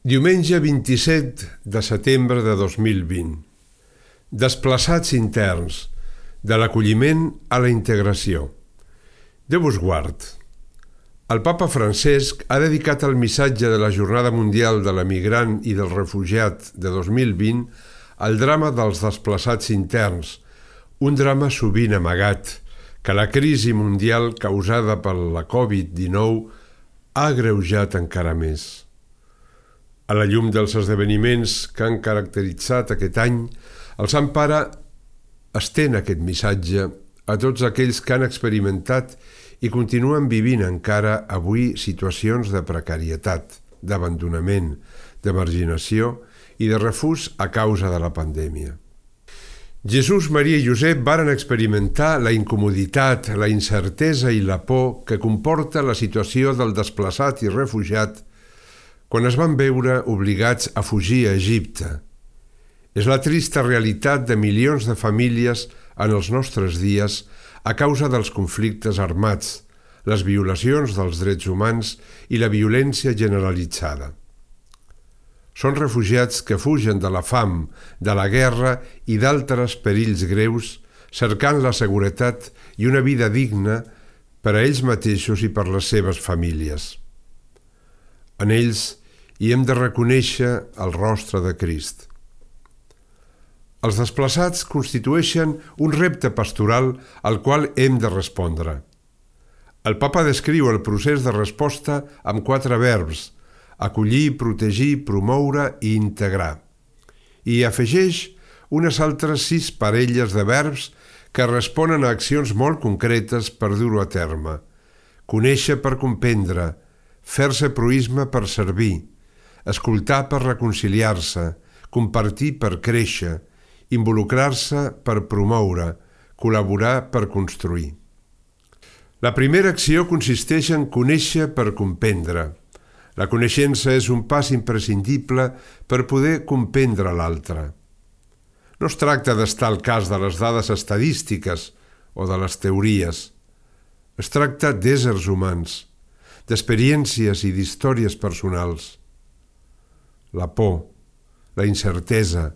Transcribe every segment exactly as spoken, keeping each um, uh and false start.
Diumenge vint-i-set de setembre de dos mil vint. Desplaçats interns, de l'acolliment a la integració. Déu us guard. El papa Francesc ha dedicat el missatge de la Jornada Mundial de l'Emigrant i del Refugiat de dos mil vint al drama dels desplaçats interns, un drama sovint amagat, que la crisi mundial causada per la covid dinou ha agreujat encara més. A la llum dels esdeveniments que han caracteritzat aquest any, el Sant Pare estén aquest missatge a tots aquells que han experimentat i continuen vivint encara avui situacions de precarietat, d'abandonament, de marginació i de refús a causa de la pandèmia. Jesús, Maria i Josep varen experimentar la incomoditat, la incertesa i la por que comporta la situació del desplaçat i refugiat quan es van veure obligats a fugir a Egipte. És la trista realitat de milions de famílies en els nostres dies a causa dels conflictes armats, les violacions dels drets humans i la violència generalitzada. Són refugiats que fugen de la fam, de la guerra i d'altres perills greus, cercant la seguretat i una vida digna per a ells mateixos i per les seves famílies. En ells hi hem de reconèixer el rostre de Crist. Els desplaçats constitueixen un repte pastoral al qual hem de respondre. El papa descriu el procés de resposta amb quatre verbs: acollir, protegir, promoure i integrar. I afegeix unes altres sis parelles de verbs que responen a accions molt concretes per dur-ho a terme. Conèixer per comprendre, fer-se proïsme per servir, escoltar per reconciliar-se, compartir per créixer, involucrar-se per promoure, col·laborar per construir. La primera acció consisteix en conèixer per comprendre. La coneixença és un pas imprescindible per poder comprendre l'altre. No es tracta d'estar al cas de les dades estadístiques o de les teories. Es tracta d'éssers humans, d'experiències i d'històries personals. La por, la incertesa,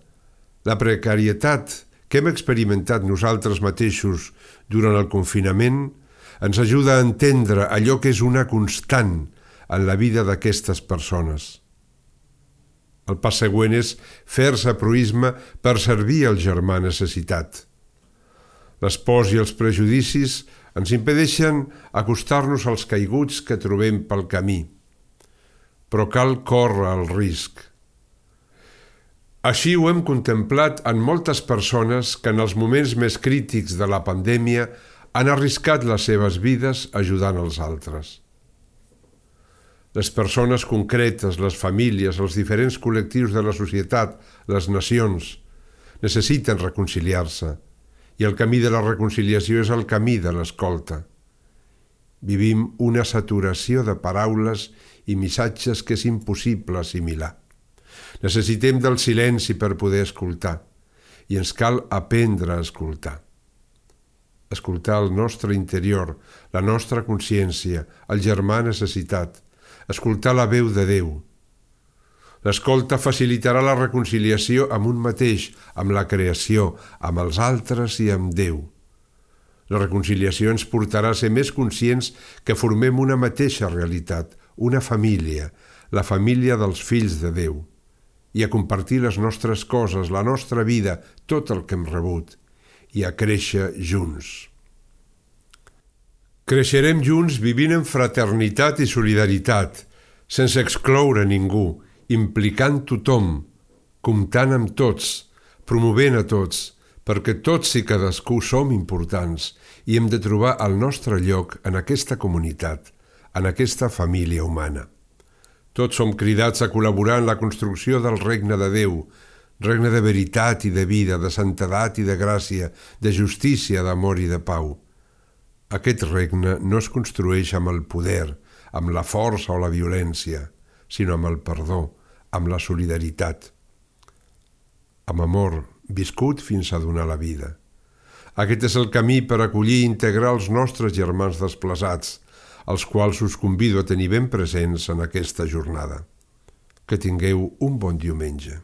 la precarietat que hem experimentat nosaltres mateixos durant el confinament ens ajuda a entendre allò que és una constant en la vida d'aquestes persones. El pas següent és fer-se proïsme per servir al germà necessitat. Les pors i els prejudicis ens impedeixen acostar-nos als caiguts que trobem pel camí, però cal córrer el risc. Així ho hem contemplat en moltes persones que en els moments més crítics de la pandèmia han arriscat les seves vides ajudant els altres. Les persones concretes, les famílies, els diferents col·lectius de la societat, les nacions, necessiten reconciliar-se, i el camí de la reconciliació és el camí de l'escolta. Vivim una saturació de paraules i missatges que és impossible assimilar. Necessitem del silenci per poder escoltar, i ens cal aprendre a escoltar. Escoltar el nostre interior, la nostra consciència, el germà necessitat, escoltar la veu de Déu. L'escolta facilitarà la reconciliació amb un mateix, amb la creació, amb els altres i amb Déu. La reconciliació ens portarà a ser més conscients que formem una mateixa realitat, una família, la família dels fills de Déu, i a compartir les nostres coses, la nostra vida, tot el que hem rebut, i a créixer junts. Creixerem junts vivint en fraternitat i solidaritat, sense excloure ningú, implicant tothom, comptant amb tots, promovent a tots, perquè tots i cadascú som importants i hem de trobar el nostre lloc en aquesta comunitat, en aquesta família humana. Tots som cridats a col·laborar en la construcció del regne de Déu, regne de veritat i de vida, de santedat i de gràcia, de justícia, d'amor i de pau. Aquest regne no es construeix amb el poder, amb la força o la violència, sinó amb el perdó, amb la solidaritat. Amb amor, viscut fins a donar la vida. Aquest és el camí per acollir i integrar els nostres germans desplaçats, els quals us convido a tenir ben presents en aquesta jornada. Que tingueu un bon diumenge.